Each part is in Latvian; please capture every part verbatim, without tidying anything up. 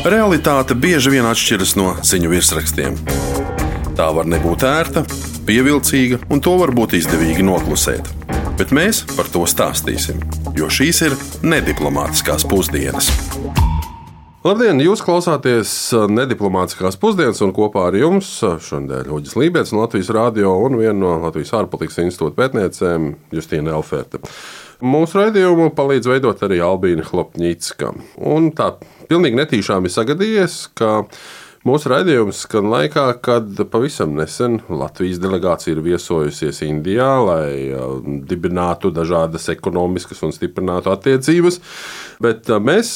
Realitāte bieži vien atšķiras no ziņu virsrakstiem. Tā var nebūt ērta, pievilcīga, un to var būt izdevīgi noklusēt. Bet mēs par to stāstīsim, jo šīs ir nediplomātiskās pusdienas. Labdien! Jūs klausāties nediplomātiskās pusdienas, un kopā ar jums šodien Uģis Lībets no Latvijas radio un viena no Latvijas ārpolitikas institūta pētniecēm Justīna Elferte. Mūsu raidījumu palīdz veidot arī Albīna Hlopņicka. Un tā pilnīgi netīšām ir sagadījies, ka mūsu raidījums skan laikā, kad pavisam nesen Latvijas delegācija ir viesojusies Indijā, lai dibinātu dažādas ekonomiskas un stiprinātu attiecības. Bet mēs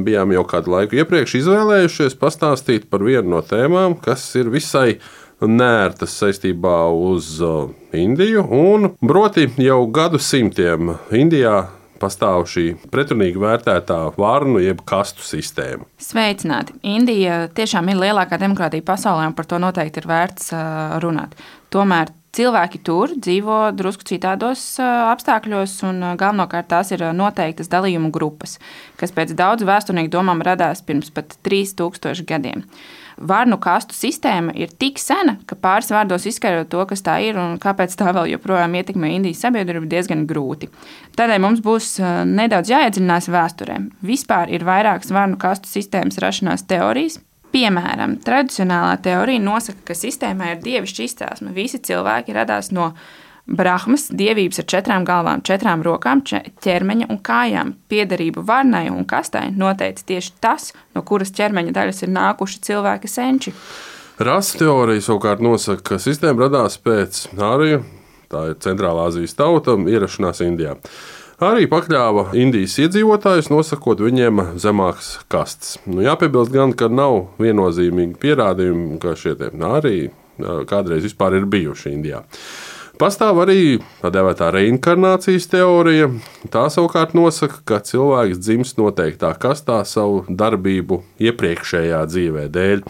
bijām jau kādu laiku iepriekš izvēlējušies pastāstīt par vienu no tēmām, kas ir visai nērtas saistībā uz Indiju. Un proti jau gadu simtiem Indijā pastāv šī pretrunīgi vērtētā varnu jeb kastu sistēma. Sveicināti! Indija tiešām ir lielākā demokrātija pasaulē, un par to noteikti ir vērts runāt. Tomēr cilvēki tur dzīvo drusku citādos apstākļos, un galvenokārt tās ir noteiktas dalījumu grupas, kas pēc daudzu vēsturnieku domām radās pirms pat trīs tūkstoši gadiem. Varnu kastu sistēma ir tik sena, ka pāris vārdos izskaidrot to, kas tā ir un kāpēc tā vēl joprojām ietekmē Indijas sabiedrību, diezgan grūti. Tādēļ mums būs nedaudz jāiedziļinās vēsturē. Vispār ir vairākas varnu kastu sistēmas rašanās teorijas. Piemēram, tradicionālā teorija nosaka, ka sistēmā ir dievišķa izcelsme. Visi cilvēki radās no Brahmas, dievības ar četrām galvām, četrām rokām, ķermeņa un kājām. Piederību varnai un kastai noteica tieši tas, no kuras ķermeņa daļas ir nākuši cilvēka senči. Rases teorija savukārt nosaka, ka sistēma radās pēc Āriju, tā ir Centrālā Azijas tauta, ierašanās Indijā. Arī pakļāva Indijas iedzīvotājus, nosakot viņiem zemākas kastes. Nu, jāpiebilst gan, ka nav viennozīmīgi pierādījumi, ka šie Āriji kādreiz vispār ir bijuši Indijā. Pastāv arī tā dēvētā reinkarnācijas teorija. Tā savukārt nosaka, ka cilvēks dzimst noteiktā kastā savu darbību iepriekšējā dzīvē dēļ.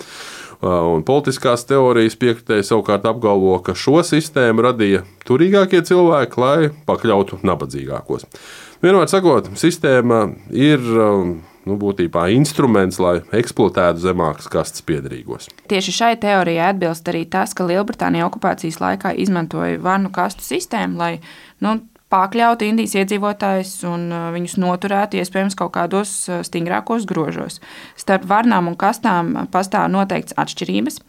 Un politiskās teorijas piekritēji savukārt apgalvo, ka šo sistēmu radīja turīgākie cilvēki, lai pakļautu nabadzīgākos. Vienmēr sakot, sistēma ir nu, būtībā instruments, lai eksploatētu zemākas kastes piederīgos. Tieši šai teorijai atbilst arī tas, ka Lielbritānija okupācijas laikā izmantoja varnu kastu sistēmu, lai nu, pakļautu Indijas iedzīvotājus un viņus noturētu iespējams kaut kādos stingrākos grožos. Starp varnām un kastām pastāv noteikts atšķirības.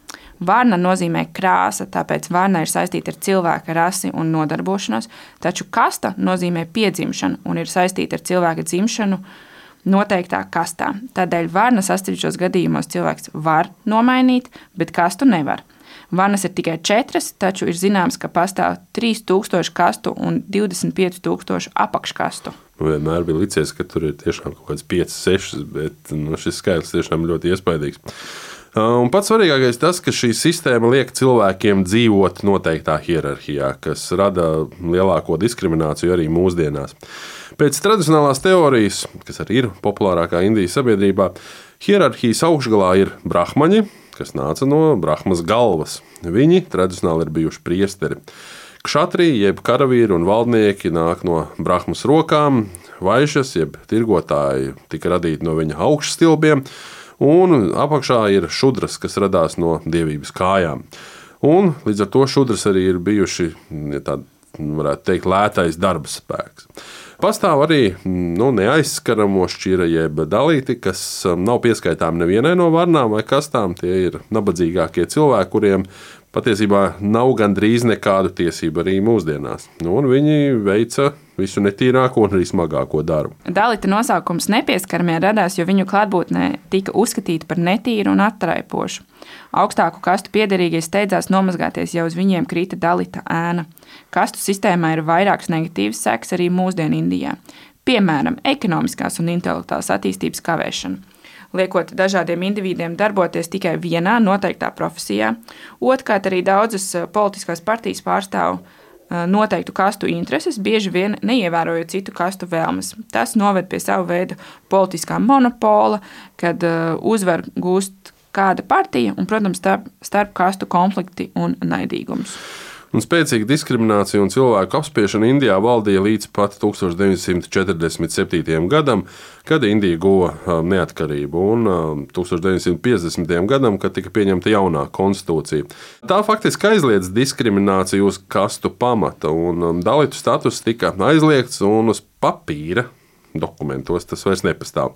Varna nozīmē krāsa, tāpēc varna ir saistīta ar cilvēka rasi un nodarbošanos, taču kasta nozīmē piedzimšanu un ir saistīta ar cilvēka dzimšanu noteiktā kastā. Tādēļ varnas atsevišķos gadījumos cilvēks var nomainīt, bet kastu nevar. Varnas ir tikai četras, taču ir zināms, ka pastāv trīs tūkstoši kastu un divdesmit pieci tūkstoši apakškastu. Vienmēr bija licies, ka tur ir tiešām kaut kāds pieci seši, bet nu, šis skaitlis tiešām ļoti iespaidīgs. Un pats svarīgākais tas, ka šī sistēma liek cilvēkiem dzīvot noteiktā hierarhijā, kas rada lielāko diskrimināciju arī mūsdienās. Pēc tradicionālās teorijas, kas arī ir populārākā Indijas sabiedrībā, hierarhijas augšgalā ir brahmaņi, kas nāca no Brahmas galvas. Viņi tradicionāli ir bijuši priesteri. Kšatriji, jeb karavīri un valdnieki nāk no Brahmas rokām, vaišas, jeb tirgotāji tika radīti no viņa augšstilbiem, un apakšā ir šudras, kas radās no dievības kājām. Un līdz ar to šudras arī ir bijuši, ja tā varētu teikt, lētais darba spēks. Pastāv arī nu, neaizskaramo šķira jeb dalīti, kas nav pieskaitām nevienai no varnām vai kastām. Tie ir nabadzīgākie cilvēki, kuriem patiesībā nav gandrīz nekādu tiesību arī mūsdienās. Nu, un viņi veica visu netīrāko un arī smagāko darbu. Dalīta nosaukums nepieskaramie radās, jo viņu klātbūtnē tika uzskatīta par netīru un attraipošu. Augstāku kastu piederīgie steidzās nomazgāties, ja uz viņiem krita dalīta ēna. Kastu sistēmā ir vairākas negatīvas sekas arī mūsdienu Indijā. Piemēram, ekonomiskās un intelektuālās attīstības kavēšana. Liekot dažādiem individiem darboties tikai vienā noteiktā profesijā. Otrkārt, arī daudzas politiskās partijas pārstāv noteiktu kastu intereses, bieži vien neievērojot citu kastu vēlmes. Tas noved pie savu veidu politiskā monopola, kad uzvar gūst kāda partija un, protams, starp, starp kastu konflikti un naidīgums. Un spēcīga diskriminācija un cilvēku apspiešana Indijā valdīja līdz pat tūkstoš deviņsimt četrdesmit septītajam gadam, kad Indija guva neatkarību, un tūkstoš deviņsimt piecdesmitajam gadam, kad tika pieņemta jaunā konstitūcija. Tā faktiski aizliedz diskrimināciju uz kastu pamata, un dalitu status tika aizliegts, un uz papīra dokumentos tas vairs nepastāv.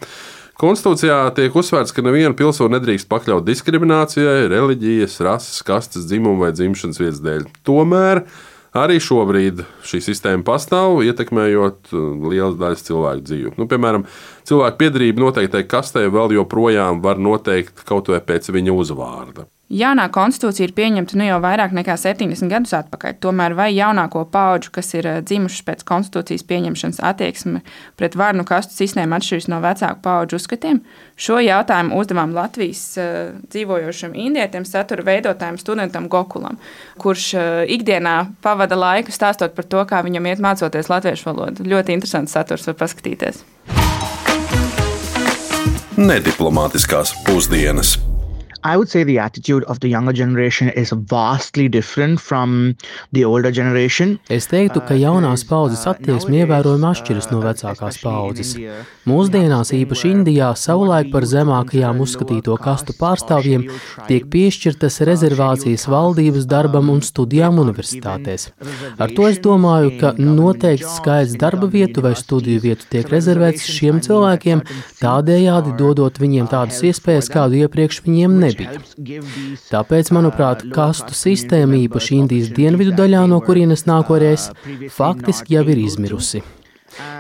Konstitūcijā tiek uzsvērts, ka nevienu pilsoni nedrīkst pakļaut diskriminācijai, reliģijas, rases, kastes, dzimuma vai dzimšanas vietas dēļ. Tomēr arī šobrīd šī sistēma pastāv, ietekmējot lielas daļas cilvēku dzīvi. Nu, piemēram, cilvēku piederība noteiktai kastei vēl joprojām var noteikt kaut vai pēc viņa uzvārda. Jaunā konstitūcija ir pieņemta nu jau vairāk nekā septiņdesmit gadus atpakaļ. Tomēr vai jaunāko paudžu, kas ir dzimušas pēc konstitūcijas pieņemšanas, attieksme pret varnu kastu sistēmu atšķiras no vecāku paudžu uzskatiem? Šo jautājumu uzdevām Latvijas uh, dzīvojošam indietim, satura veidotājam studentam Gokulam, kurš uh, ikdienā pavada laiku stāstot par to, kā viņam iet mācoties latviešu valodu. Ļoti interesants saturs, var paskatīties. Nediplomātiskās pusdienas. I would say the attitude of the younger generation is vastly different from the older generation. Es teiktu, ka jaunās paudzes attieksme ievērojami atšķiras no vecākās paudzes. Mūsdienās, īpaši Indijā, savulaik par zemākajām uzskatīto kastu pārstāvjiem tiek piešķirtas rezervācijas valdības darbam un studijām universitātēs. Ar to es domāju, ka noteikts skaits darba vietu vai studiju vietu tiek rezervēts šiem cilvēkiem, tādējādi dodot viņiem tādas iespējas, kādu iepriekš viņiem nebija. Tāpēc, manuprāt, kastu sistēma īpaši Indijas dienvidu daļā, no kurienes nāku arī es, faktiski jau ir izmirusi.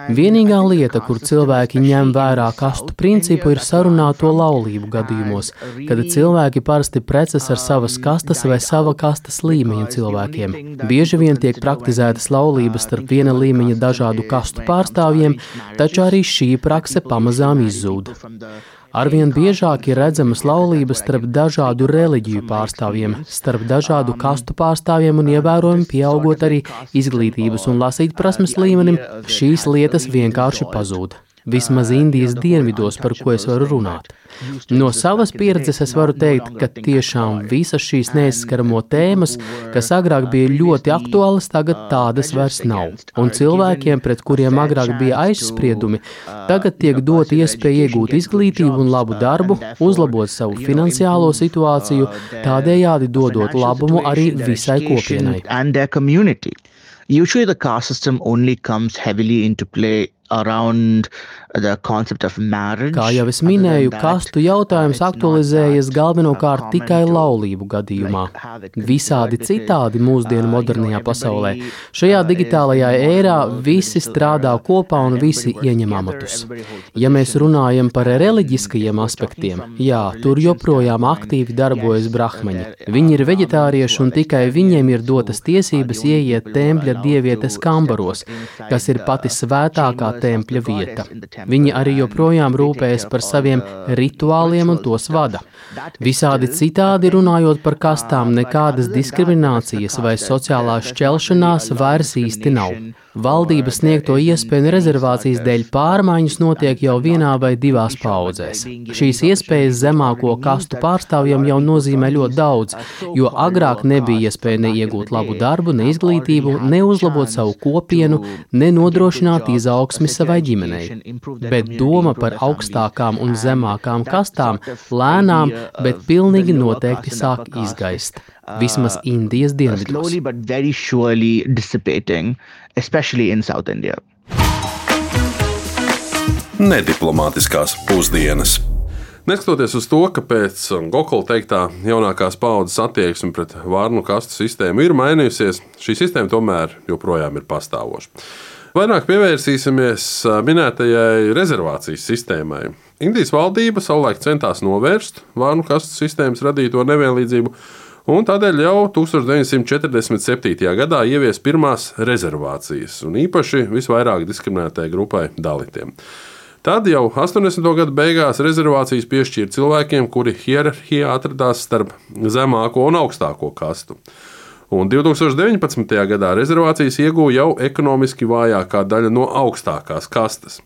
Vienīgā lieta, kur cilvēki ņem vērā kastu principu, ir sarunāto laulību gadījumos, kad cilvēki parasti precas ar savas kastas vai sava kastas līmeņa cilvēkiem. Bieži vien tiek praktizētas laulības starp viena līmeņa dažādu kastu pārstāvjiem, taču arī šī prakse pamazām izzūd. Arvien biežāk ir redzamas laulības starp dažādu reliģiju pārstāvjiem, starp dažādu kastu pārstāvjiem un ievērojami pieaugot arī izglītības un lasīt prasmes līmenim, šīs lietas vienkārši pazūd. Vismaz Indijas dienvidos, par ko es varu runāt. No savas pieredzes es varu teikt, ka tiešām visas šīs neaizskaramo tēmas, kas agrāk bija ļoti aktuālas, tagad tādas vairs nav. Un cilvēkiem, pret kuriem agrāk bija aizspriedumi, tagad tiek dot iespēja iegūt izglītību un labu darbu, uzlabot savu finansiālo situāciju, tādējādi dodot labumu arī visai kopienai. Usually the caste system only comes heavily into play around the concept of marriage. Kā jau es minēju, kastu jautājums aktualizējas galvenokārt tikai laulību gadījumā. Visādi citādi mūsdienu modernajā pasaulē. Šajā digitālajā ērā visi strādā kopā un visi ieņem amatus. Ja mēs runājam par reliģiskajiem aspektiem, jā, tur joprojām aktīvi darbojas brahmaņi. Viņi ir veģetārieši un tikai viņiem ir dotas tiesības ieiet tempļa dievietes kambaros, kas ir pati svētākā tempļa vieta. Viņi arī joprojām rūpējas par saviem rituāliem un tos vada. Visādi citādi runājot par kastām, nekādas diskriminācijas vai sociālās šķelšanās vairs īsti nav. Valdības sniegto iespēju un rezervācijas dēļ pārmaiņas notiek jau vienā vai divās paudzēs. Šīs iespējas zemāko kastu pārstāvjiem jau nozīmē ļoti daudz, jo agrāk nebija iespēja neiegūt labu darbu, ne izglītību, ne uzlabot savu kopienu, ne nodrošināt izaugsmi savai ģimenei. Bet doma par augstākām un zemākām kastām lēnām, bet pilnīgi noteikti sāk izgaist. Vismaz Indijas dienvidos. Slowly but very surely dissipating, especially in South India. Nediplomātiskās pusdienas. Neskatoties uz to, ka pēc Gokula teiktā jaunākās paudzes attieksme pret varnu kastu sistēmu ir mainījusies, šī sistēma tomēr joprojām ir pastāvoša. Vairāk pievērsīsimies minētajai rezervācijas sistēmai. Indijas valdība savulaik centās novērst varnu kastu sistēmas radīto nevienlīdzību, un tādēļ jau tūkstoš deviņsimt četrdesmit septītajā gadā ievies pirmās rezervācijas, un īpaši visvairāk diskriminētajai grupai dalitiem. Tad jau astoņdesmito gadu beigās rezervācijas piešķīra cilvēkiem, kuri hierarhijā atradās starp zemāko un augstāko kastu. Un divs tūkstoši deviņpadsmitajā gadā rezervācijas ieguva jau ekonomiski vājākā daļa no augstākās kastes.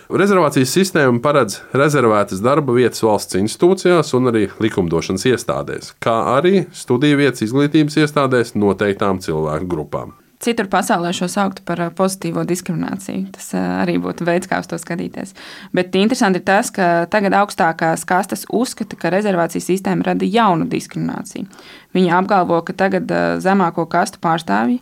Rezervācijas sistēma paredz rezervētas darba vietas valsts institūcijās un arī likumdošanas iestādēs, kā arī studiju vietas izglītības iestādēs noteiktām cilvēku grupām. Citur pasaulē šo sauktu par pozitīvo diskrimināciju. Tas arī būtu veids, kā uz to skatīties. Bet interesanti ir tas, ka tagad augstākās kastes uzskata, ka rezervācijas sistēma rada jaunu diskrimināciju. Viņi apgalvo, ka tagad zemāko kastu pārstāvji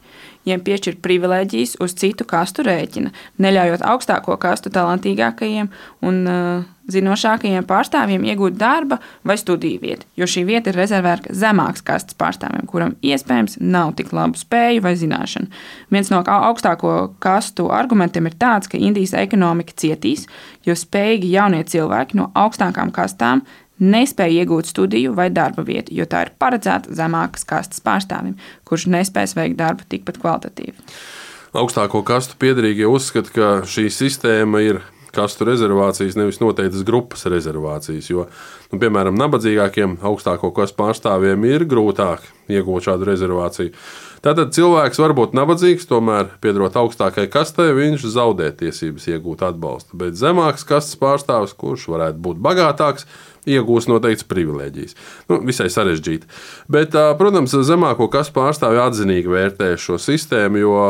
viņiem piešķir privilēģijas uz citu kastu rēķina, neļaujot augstāko kastu talantīgākajiem un uh, zinošākajiem pārstāvjiem iegūt darba vai studiju vietu, jo šī vieta ir rezervēta zemākas kastes pārstāvjiem, kuram iespējams nav tik labu spēju vai zināšanu. Viens no augstāko kastu argumentiem ir tāds, ka Indijas ekonomika cietīs, jo spējīgi jaunie cilvēki no augstākām kastām nespēja iegūt studiju vai darba vietu, jo tā ir paredzēta zemākas kastes pārstāvim, kurš nespēs veikt darbu tikpat kvalitatīvi. Augstāko kastu piederīgie uzskata, ka šī sistēma ir kastu rezervācijas, nevis noteiktas grupas rezervācijas, jo, nu, piemēram, nabadzīgākiem augstāko kastu pārstāvjiem ir grūtāk iegūt šādu rezervāciju. Tātad cilvēks var būt nabadzīgs, tomēr, piederot augstākai kastei, viņš zaudē tiesības iegūt atbalstu, bet zemākas kastes pārstāvis, kurš varētu būt bagātāks, iegūs noteikts privilēģijas. Nu, visai sarežģīti. Bet, protams, zemāko kastu pārstāvji atzinīgi vērtē šo sistēmu, jo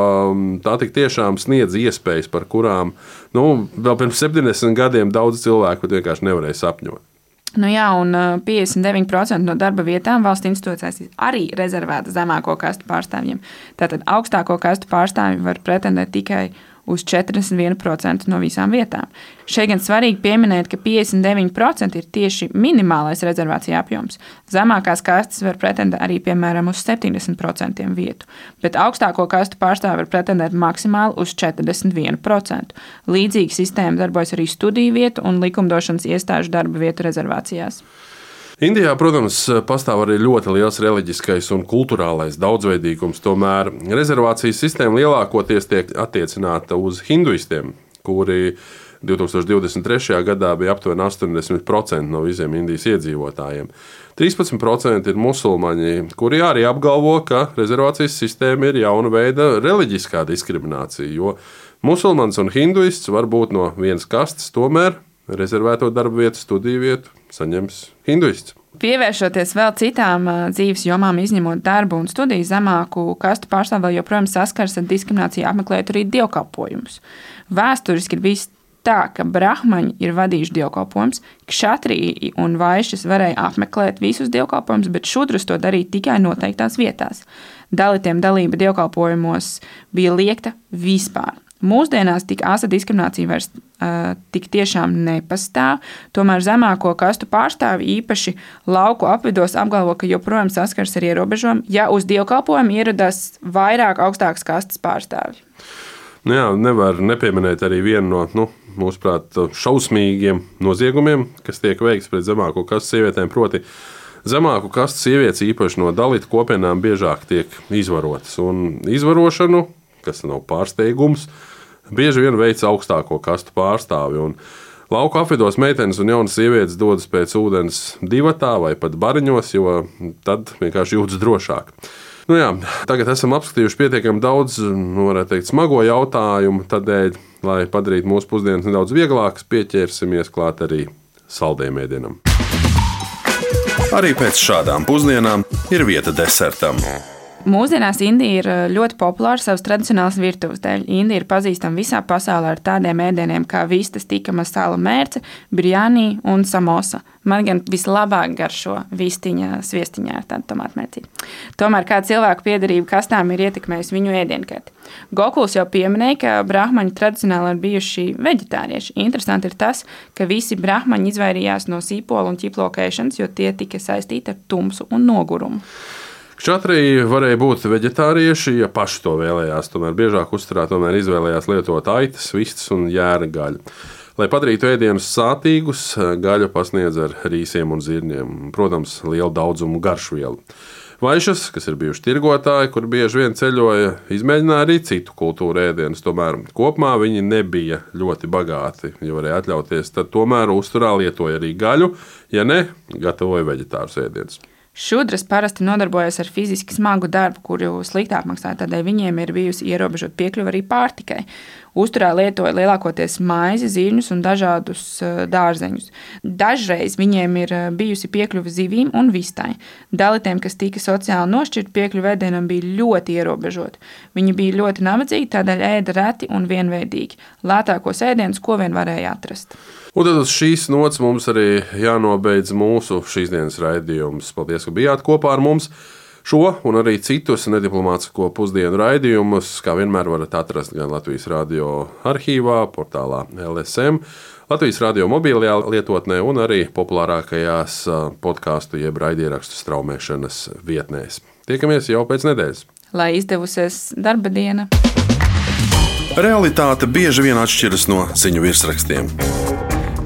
tā tik tiešām sniedz iespējas, par kurām nu, vēl pirms septiņdesmit gadiem daudz cilvēku vienkārši nevarēja sapņot. Nu jā, un piecdesmit deviņi procenti no darba vietām valsts institūcijās ir arī rezervēta zemāko kastu pārstāvjiem. Tātad augstāko kastu pārstāvji var pretendēt tikai uz četrdesmit viens procents no visām vietām. Šeit gan svarīgi pieminēt, ka piecdesmit deviņi procenti ir tieši minimālais rezervācija apjoms. Zemākās kastes var pretendēt arī, piemēram, uz septiņdesmit procentiem vietu, bet augstāko kastu pārstāvi var pretendēt maksimāli uz četrdesmit viens procents. Līdzīga sistēma darbojas arī studiju vietu un likumdošanas iestāžu darba vietu rezervācijās. Indijā, protams, pastāv arī ļoti liels reliģiskais un kultūrālais daudzveidīgums, tomēr rezervācijas sistēma lielākoties tiek attiecināta uz hinduistiem, kuri divtūkstoš divdesmit trešajā gadā bija aptuveni astoņdesmit procenti no visiem Indijas iedzīvotājiem. trīspadsmit procenti ir musulmaņi, kuri arī apgalvo, ka rezervācijas sistēma ir jauna veida reliģiskā diskriminācija, jo musulmanis un hinduists var būt no vienas kastes, tomēr rezervēto darba vietu, studiju vietu saņems hinduists. Pievēršoties vēl citām dzīves jomām, izņemot darbu un studiju, zemāku kastu pārstāvji vēl joprojām saskars ar diskrimināciju, apmeklējot arī dievkalpojumus. Vēsturiski ir bijis tā, ka brahmaņi ir vadījuši dievkalpojumus, kšatriji un vaišas varēja apmeklēt visus dievkalpojumus, bet šudrus to darīja tikai noteiktās vietās. Dalitiem dalība dievkalpojumos bija liekta vispār. Mūsdienās tik asa diskriminācija vairs uh, tik tiešām nepastāv, tomēr zemāko kastu pārstāvi īpaši lauku apvidos apgalvo, ka joprojām saskars ar ierobežojumu, ja uz dievkalpojumu ieradās vairāk augstākas kastes pārstāvji. Nu jā, nevar nepieminēt arī vienu no, nu, mūsuprāt, šausmīgiem noziegumiem, kas tiek veikts pret zemāko kastu sievietēm, proti zemāku kastu sievietes īpaši no dalitu kopienām biežāk tiek izvarotas. Un izvarošanu, kas nav pārsteigums, bieži vien veic augstāko kastu pārstāvi. Un lauku apvidos meitenes un jaunas sievietes dodas pēc ūdens divatā vai pat bariņos, jo tad vienkārši jūtas drošāk. Nu jā, tagad esam apskatījuši pietiekami daudz, nu, varētu teikt, smago jautājumu, tādēļ, lai padarītu mūsu pusdienas nedaudz vieglākas, pieķersimies klāt arī saldējiem ēdienam. Arī pēc šādām pusdienām ir vieta desertam. Mūsdienās Indija ir ļoti populāra savas tradicionālas virtuves dēļ. Indija ir pazīstama visā pasaulē ar tādiem ēdieniem kā vistas, tika masala mērce, birjani un samosa. Man gan vislabāk garšo vistiņa sviestiņā ar tādu tomātmērcīti. Tomēr kā cilvēku piederība kastām ir ietekmējusi viņu ēdienkarti. Gokuls jau pieminēja, ka brahmaņi tradicionāli ir bijuši veģetārieši. Interesanti ir tas, ka visi brahmaņi izvairījās no sīpola un ķiplokēšanas, jo tie tika saistīti ar tumsu un nogurumu. Kšatriji varēja būt veģetārieši, ja paši to vēlējās. Tomēr biežāk uzturā tomēr izvēlējās lietot aitas, vistas un jēra gaļu. Lai padarītu ēdienus sātīgus, gaļu pasniedz ar rīsiem un zirņiem. Protams, lielu daudzumu garšvielu. Vaišas, kas ir bijuši tirgotāji, kur bieži vien ceļoja, izmēģināja arī citu kultūru ēdienus. Tomēr kopumā viņi nebija ļoti bagāti, ja varēja atļauties. Tad tomēr uzturā lietoja arī gaļu, ja ne, gatavoja veģetārus ēdienus. Šudras parasti nodarbojas ar fiziski smagu darbu, kuru slikti apmaksā, tādēļ viņiem ir bijusi ierobežota piekļuve arī pārtikai. Uzturā lietoja lielākoties maizi, zirņus un dažādus dārzeņus. Dažreiz viņiem ir bijusi piekļuve zivīm un vistai. Dalitiem, kas tika sociāli nošķirti, piekļuve ēdienam bija ļoti ierobežota. Viņi bija ļoti nabadzīgi, tādēļ ēda reti un vienveidīgi. Lētākos ēdienus, ko vien varēja atrast. Un tad uz šīs nots mums arī jānobeidz mūsu šīs dienas raidījums. Paldies, ka bijāt kopā ar mums. Šo un arī citus nediplomātisko pusdienu raidījumus, kā vienmēr, varat atrast gan Latvijas radio arhīvā, portālā L S M, Latvijas radio mobilajā lietotnē un arī populārākajās podkāstu jeb raidierakstu straumēšanas vietnēs. Tiekamies jau pēc nedēļas. Lai izdevusies darba diena. Realitāte bieži vien atšķiras no ziņu virsrakstiem.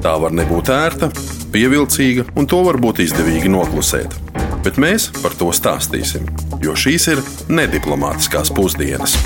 Tā var nebūt ērta, pievilcīga, un to var būt izdevīgi noklusēt. Bet mēs par to stāstīsim, jo šīs ir nediplomātiskās pusdienas.